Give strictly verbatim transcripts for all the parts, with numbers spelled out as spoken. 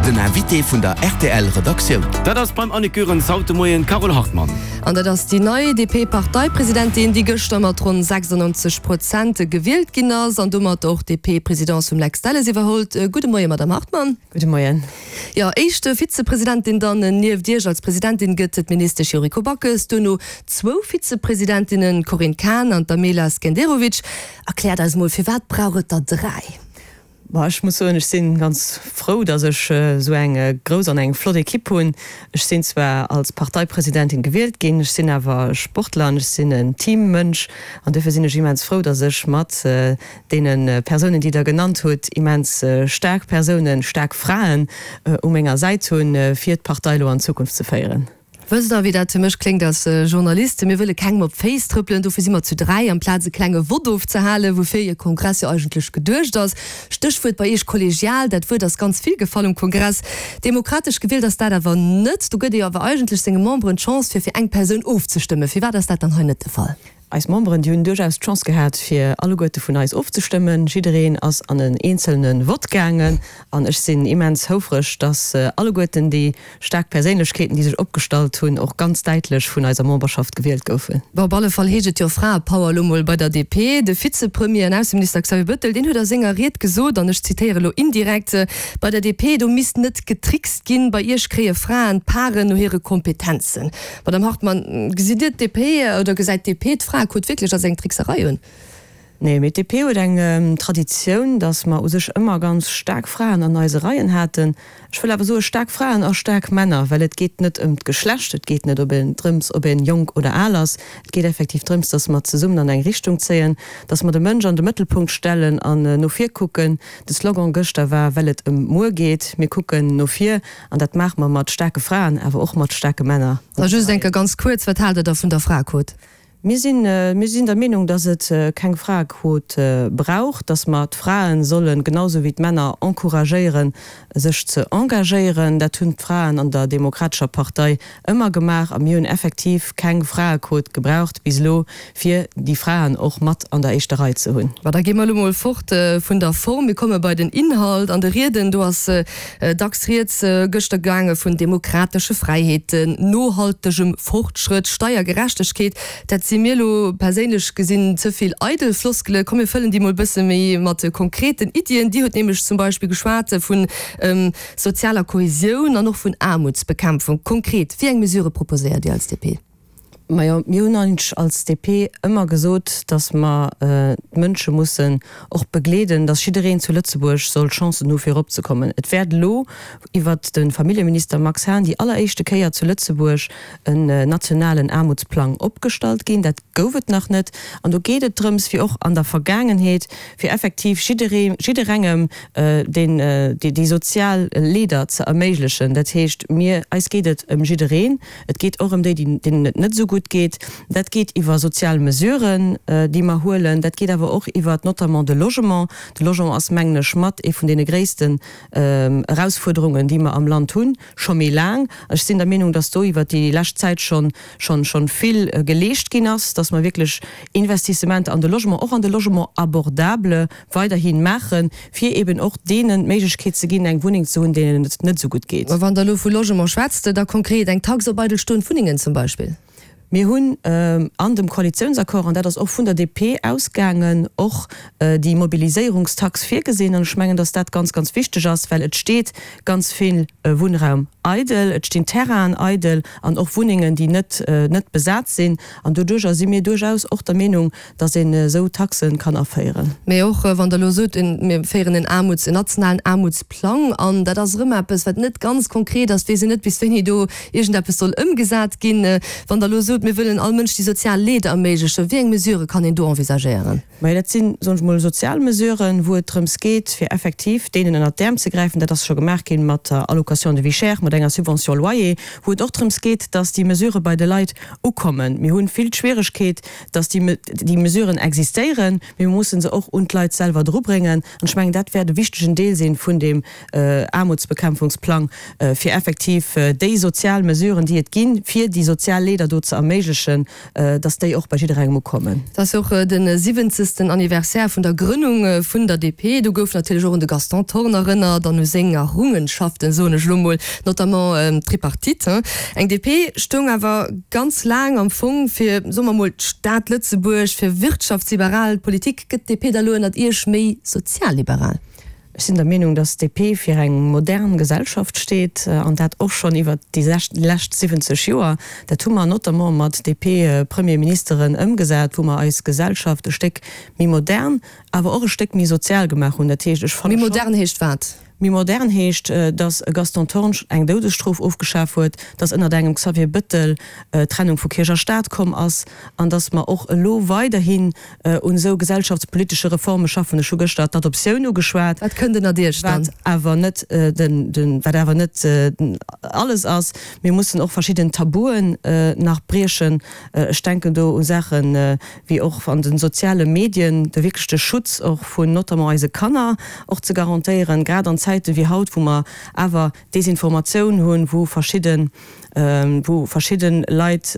Den Invité vun der R T L Redaktioun. Dat ass beim Annick Goerens haut de Moien d'Carole Hartmann. An dat ass déi nei D P-Parteipresidentin, déi gëschter mat ronn sechsundneunzeg Prozent gewielt ginn ass an domat och d'D P-Presidence vum Lex Delles iwwerhëlt. Gudde Moien, Madame Hartmann. Gudde Moien. Jo, éischt Vizepresidentin dann nieft Iech als Presidentin gëtt d'Ministesch Yuriko Backes, duerno zwou Vizepresidentinnen, Corinne Cahen an d'Amela Skenderovic. Erkläert eis mol, firwat brauch et der dräi? Boah, ech muss soen, ech sinn ganz frou, dass ech äh, sou eng äh, grouss an eng flott Ekipp hunn. Ech sinn zwar als Parteipresidentin gewielt ginn, ech sinn awer Sportler, ech sinn en Teammënsch an dofir sinn ech immens frou, dass ech mat äh, deene Persounen, déi Der genannt hutt, immens äh, staark Persounen, staark Fraen äh, u menger Säit hunn, äh, fir d'Partei lo an d'Zukunft ze féieren. Wësst Der, wéi dat fir mech kléngt als Journalist? Mir wëlle kengem op d'Féiss trëppelen, dofir si mer zu dräi, amplaz e klenge Vott ofzehalen, woufir e Kongress jo eigentlech geduecht ass. Stéchwuert bei Iech kollegial, dat Wuert ass ganz vill gefall um Kongress. Demokratesch gewielt ass dat awer net. Do gëtt ee jo awer eigentlech senge Memberen d'Chance, fir fir eng Persoun ofzestëmmen. Firwat ass dat dann hei net de Fall? Eis Memberen, déi hunn duerchaus d'Chance gehat, fir alleguerte vun eis ofzestëmmen. Jiddereen ass an en eenzelne Vott gaangen an ech sinn immens houfreg, dass alleguerten déi staark Perséinlechkeeten, déi sech opgestallt hunn, och ganz däitlech vun eiser Memberschaft gewielt goufen. Bon, op alle Fall heescht et jo Fraepower elo mol bei der D P. De Vizepremier an Ausseminister Xavier Bettel, deen huet a senger Ried gesot, an ech zitéiere elo indirekt, Bei der D P, do misst net getrickst ginn, bei iech kréie Fraen d'Paren no hire Kompetenzen. Madame Hartmann, gesitt Dir d'D P oder gesäit d'D P d'Fraequot wierklech als eng Trickserei un? Nee, mee d'D P huet eng ähm, Traditioun, dass mer u sech ëmmer ganz staark Fraen an eise Reien haten. Ech wëll awer soe staark Fraen a staark Männer, well et geet net ëm d'Geschlecht, et geet net op een drëms, ob een jonk oder al ass. Et geet effektiv drëms, dass mer zesummen an eng Richtung zéien, dass mer de Mënsch an de Mëttelpunkt stellen an äh, no vir kucken. De Slogan gëschter war, well et ëm muer geet, mir kucken no vir an dat maache mer mat staarke Fraen, awer och mat staarke Männer. Da just eng Kéier ganz kuerz, wat haalt Der da vun der Fraequot? Mir sinn, äh, mir sinn der Meenung, dass et äh, keng Fraequot äh, brauch, dass mer d'Fraen sollen genauso wéi d'Männer encouragéieren, sech ze engagéieren. Dat hunn d'Fraen an der Demokratescher Partei ëmmer gemaach a mir hunn effektiv keng Fraequot gebraucht bis elo, fir déi Fraen och mat an der éischter Rei ze hunn. Ma da gi mer elo mol fort äh, vun der Form, mir komme bei den Inhalt. An de Rieden, do ass äh, dacks rieds äh, gëschter gaange vun demokratesche Fräiheeten, nohaltegem Fortschrëtt, Steiergerechtegkeet. Dat si mir elo perséinlech gesinn ze vill eidel Floskele. Komm mir fëllen déi mol bësse méi mat konkreten Iddien. Dir hutt nämlech zum Beispill geschwat vun ähm, sozialer Kohesioun an och vun Aarmutsbekämpfung. Konkret, wéi eng Mesure proposéiert Dir als D P? Majo, mir hunn eigentlech als D P ëmmer gesot, dass mer äh, d'Mënsche mussen och begleeden, dass jiddereen zu Lëtzebuerg soll Chancen hu fir eropzekommen. Et wäert elo iwwert de Familljeminister Max Hahn déi alleréischte Kéier zu Lëtzebuerg en äh, nationalen Aarmutsplang opgestallt ginn. Dat gouf et nach net. An do geet et drëms, wéi och an der Vergaangenheet, fir effektiv jidderee, jidderengem äh, den, äh, déi, déi sozial Leeder ze erméiglechen. Dat heescht, mir, eis geet et ëm jiddereen. Et geet och ëm déi, déi, deenen et net esou gutt geet. Dat geet iwwer sozial Mesuren, äh, déi mer huelen. Dat geet awer och iwwer notamment de Logement. De Logement ass mengen ech mat ee vun deene gréissten ähm, Erausfuerderungen, déi mer am Land hunn, scho méi laang. Ech sinn der Meenung, dass do iwwer déi lescht Zäit schonn schonn schonn vill äh, geleescht ginn ass, dass mer wierklech Investissementer an de Logement, och an de Logement abordable weiderhi maachen, fir eben och deenen d'Méiglechkeet ze ginn, eng Wunneng ze hunn, deenen et net esou gutt geet. Mä wann Der elo vu Logement schwätzt, da konkret eng Tax op eidelstoend Wunnengen zum Beispill? Mir hunn ähm, an dem Koalitiounsaccord, an dat ass och vun der D P ausgaangen, och äh, déi Mobiliséierungstax virgesinn. An ech mengen, dass dat ganz, ganz wichteg ass, well et steet ganz vill äh, Wunnraum eidel, et stinn Terrainen eidel an och Wunnengen, déi net, äh, net besat sinn. An doduerch si mir duerchaus och der Meenung, dass een äh, sou Taxe kann aféieren. Mee och äh, wann Der elo sot, mir féieren en Aarmuts, en nationalen Aarmutsplang an, dat ass rëm eppes, wat net ganz konkret ass, weess een net, bis wéini do iergendeppes soll ëmgesat ginn. Äh, wann Der elo sot, mir wëllen all Mënsch déi sozial Leeder erméiglechen, wéi eng Mesure kann een do envisagéieren? Mä dat sinn, soen ech mol, sozial Mesuren, wou et drëms geet, fir effektiv deenen ënnert d'Äerm ze gräifen. Dat ass scho gemaach ginn mat der Allocation de vie chère, mat enger Subvention loyer, wou et och drëms geet, dass déi Mesure bei de Leit ukommen. Mir hunn vill d'Schwieregkeet, dass déi, déi Mesuren existéieren, mee mir mussen se och un d'Leit selwer drubréngen. An ech mengen, dat wäert e wichtegen Deel sinn vun deem äh, Aarmutsbekämpfungsplang, äh, fir effektiv äh, déi sozial Mesuren, déi et ginn, fir déi sozial Leeder do ze erméiglechen, dass déi och bei jidderengem ukommen. Et ass jo och de siwwenzegsten Anniversaire vun der Grënnung vun der D P. Do gouf natierlech och un de Gaston Thorn erënnert an u seng Errungenschaften, soen ech elo mol, notamment d'Tripartite. Eng D P stoung awer ganz laang am Fong fir, soe mer mol, d'Stad Lëtzebuerg, fir wirtschaftsliberal Politik. Gëtt d'D P da elo ënnert Iech méi sozialliberal? Ech sinn der Meenung, dass d'D P fir eng modern Gesellschaft steet, an dat och schonn iwwert déi lescht siwwenzeg Joer. Dat hu mer notamment mat D P-Premierministeren ëmgesat, wou mer eis Gesellschaft e Stéck méi modern, awer och e Stéck méi sozial gemaach hunn. Dat heescht, ech fanne schonn. Méi modern heescht wat? Méi modern heescht, dass e Gaston Thorn eng Doudesstrof ofgeschaf huet, dass ënnert engem Xavier Bëttel d'Trennung vu Kierch a Staat komm ass an dass mer och elo weiderhin un esou gesellschaftspolitesche Reforme schaffen. Ech hu gëschter d'Adoptioun ugeschwat. Wat kënnt ënnert Iech dann? Wat awer net den, wat awer net alles ass. Mir mussen och verschidden Tabuen nach briechen. Ech denken do u Saachen wéi och an de soziale Medien de wierklech de Schutz och vun notamment eise Kanner och ze garantéieren, grad an Zäite wéi haut, wou mer awer Desinformatioun hunn, wou verschidden, wou verschidde Leit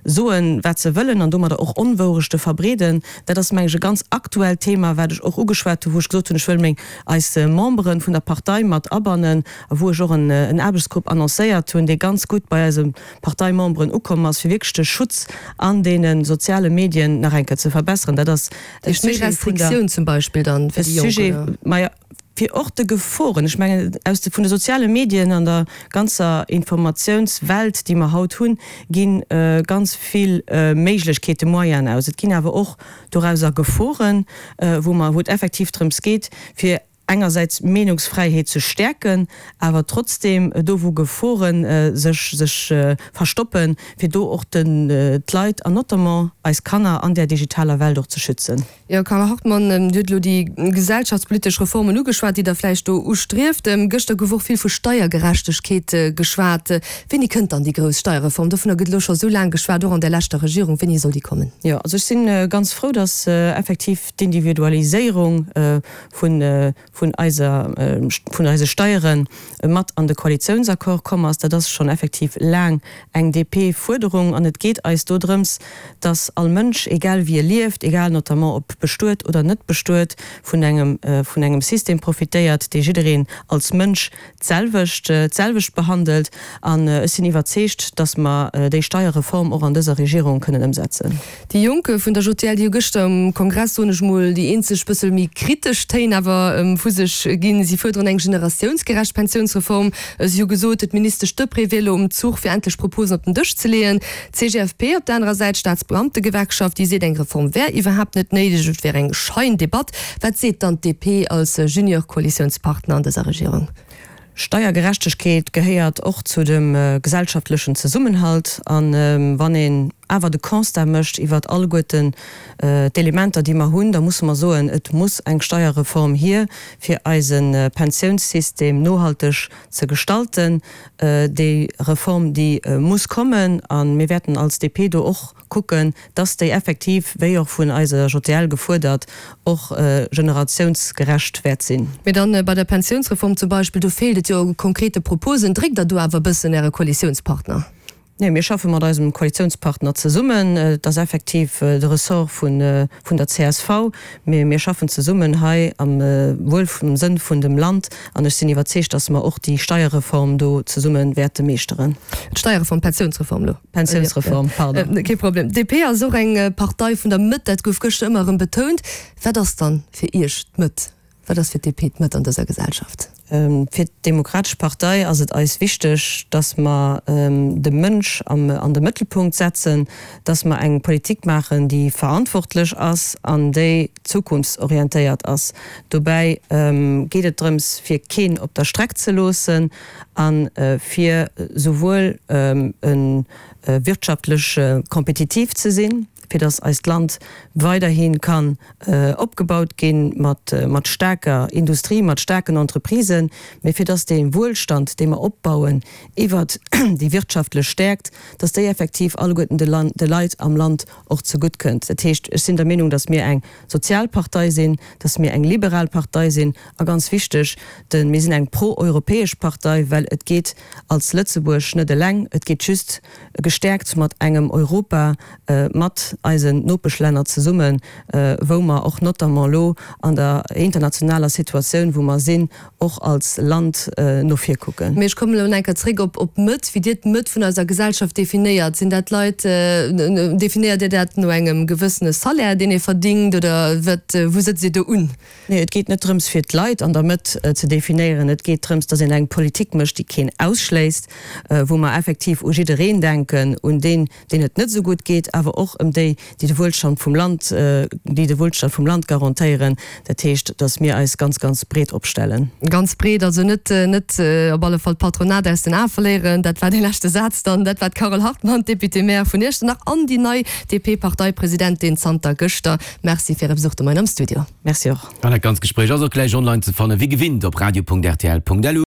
soen, wat se wëllen an domadder och Onwourechte verbreeden. Dat ass, meng ech, e ganz aktuellt Thema, wat ech och ugeschwat hunn, wou ech gesot hunn, ech wëll meng, eis Membere vun der Partei mat abannen a wou ech och en Aarbechtsgrupp annoncéiert hunn, dee ganz gutt bei eise Parteimemberen ukomm ass, fir wierklech de Schutz an deene soziale Medien nach eng Kéier ze verbesseren. Dat ass e Sujet vun der. Restriktioun zum Beispill dann fir déi Jonk, oder? Majo, fir och de Geforen, ech mengen, aus de, vun de soziale Medien an der ganzer Informatiounswelt, déi mer haut hunn, gi ganz vill Méiglechkeete, Moyenen aus. Et ginn awer och dorauser Geforen, wou mer, wou et effektiv drëms geet, fir engersäits d'Meenungsfräiheet ze stäerken, awer trotzdeem do wou Gefore sech sech verstoppen, fir do och den d'Leit an notamment eis Kanner an där digitaler Welt och ze schützen. Jo, Carla Hartmann, Dir hutt elo déi gesellschaftspolitesch Reformen ugeschwat, déi Der vläicht do ustrieft. Gëschter gouf och vill vu Steiergerechtegkeet geschwat. Wéini kënnt dann déi grouss Steierreform? Dovunner gëtt elo scho sou laang geschwat, och an där leschter Regierung. Wéini soll déi kommen? Jo, also ech si ganz frou, datt effektiv d'Individualiséierung vun vun eiser, vun eise Steiere mat an de Koalitiounsaccord komm ass. Dat ass schonn effektiv laang eng D P-Fuerderung an et geet eis do drëms, dass all Mënsch, egal wéi e lieft, egal notamment ob bestuet oder net bestuet, vun engem, vun engem System profitéiert, dee jiddereen als Mënsch d'selwecht, d'selwecht behandelt. An ech sinn iwwerzeegt, dass mer déi Steierreform och an dëser Regierung kënnen ëmsetzen. Déi Jonk vun der J T L, déi hu gëschter um Kongress, soen ech mol, déi eenzeg bëssel méi kritesch Téin awer vu sech ginn. Si fuerderen eng generatiounsgerecht Pensiounsreform. Si hu gesot, d'Ministesch Deprez wier elo um Zuch, fir endlech Proposen op den Dësch ze leeën. D'C G F P op der anerer Säit, d'Staatsbeamtegewerkschaft, déi seet, eng Reform wär iwwerhaapt net néideg, et wär eng Scheindebatt. Wat seet dann d'D P als Junior-Koalitiounspartner an dëser Regierung? Steiergerechtegkeet gehéiert och zu dem gesellschaftlechen Zesummenhalt. An wann een awer de Constat mécht iwwert alleguerten d'Elementer, déi mer hunn, da musse mer soen, et muss eng Steierreform hier, fir eise Pensiounssystem nohalteg ze gestalten. Déi Reform, déi muss kommen. A mir wäerten als D P do och kucken, dass déi effektiv, wéi och vun eiser J T L gefuerdert, och generatiounsgerecht wäert sinn. Mee dann bei der Pensiounsreform zum Beispill, do feelt et jo u konkrete Proposen. Dréckt Der do awer e bëssen Äre Koalitiounspartner? Nee, mir schaffe mat eisem Koalitiounspartner zesummen. Et ass effektiv de Ressort vun der C S V, mee mir schaffen zesummen hei am Wuel vum Sënn vun dem Land an ech sinn iwwerzeegt, dass mer och déi Steierreform do zesumme wäerte meeschteren. D'Steierreform, d'Pensiounsreform elo. Pensiounsreform, pardon. Kee Problem. D P ass och eng Partei vun der Mëtt, dat gouf gëschter ëmmer erëm betount. Wat ass dann fir Iech d'Mëtt? Wat ass fir d'D P d'Mëtt an dëser Gesellschaft? Fir d'Demokratesch Partei ass et eis wichteg, dass mer de Mënsch an de Mëttelpunkt setzen, dass mer eng Politik maachen, déi verantwortlech ass an déi zukunftsorientéiert ass. Dobäi geet et drëms, fir keen op der Streck ze loossen a fir souwuel wirtschaftlech kompetitiv ze sinn, fir dass eist Land weiderhi kann opgebaut gi mat mat staarker Industrie, mat staarken Entreprisen, mee fir dass dee Wuelstand, dee mer opbauen iwwert déi wirtschaftlech Stäerkt, dass déi effektiv alleguerten de Land, de Leit am Land och zegutt kënnt. Dat heescht, ech sinn der Meenung, dass mir eng sozial Partei sinn, dass mir eng liberal Partei sinn a ganz wichteg, de mir sinn eng pro-europäesch Partei, well et geet als Lëtzebuerg net eleng, et geet just gestäerkt mat engem Europa, mat eisen Nopeschlänner zesummen, wou mer och notamment elo an der internationaler Situatioun, wou mer sinn, och als Land no vir kucken. Mee ech kommen elo nach eng Kéier zréck op d'Mëtt. Wéi Dir d'Mëtt vun eiser Gesellschaft definéiert, sinn dat Leit, definéiert Dir dat no engem gewëssene Salaire, deen ee verdingt, oder wat, wou sëtzt Dir do un? Nee, et geet net drëms, fir d'Leit an der Mëtt ze definéieren. Et geet drëms, datt een eng Politik mécht, déi keen ausschléisst, wou mer effektiv u jiddereen denken, un deen, deen et net esou gutt geet, awer och ëm déi, déi de Wuelstand vum Land, déi de Wuelstand vum Land garantéieren. Dat heescht, datt mir eis ganz, ganz breet opstellen. Ganz breet, also net, net op alle Fall d'Patronat aus den Ae verléieren. Dat war dee leschte Saz dann. Dat war d'Carole Hartmann, Députée-maire vun Iechternach an déi nei DP-Parteipresidentin zanter gëschter. Merci fir Äre Besuch de Moien am Studio. Merci och. An dat ganzt Gespréich ass och gläich online ze fannen, wéi gewinnt op radio.rtl.lu.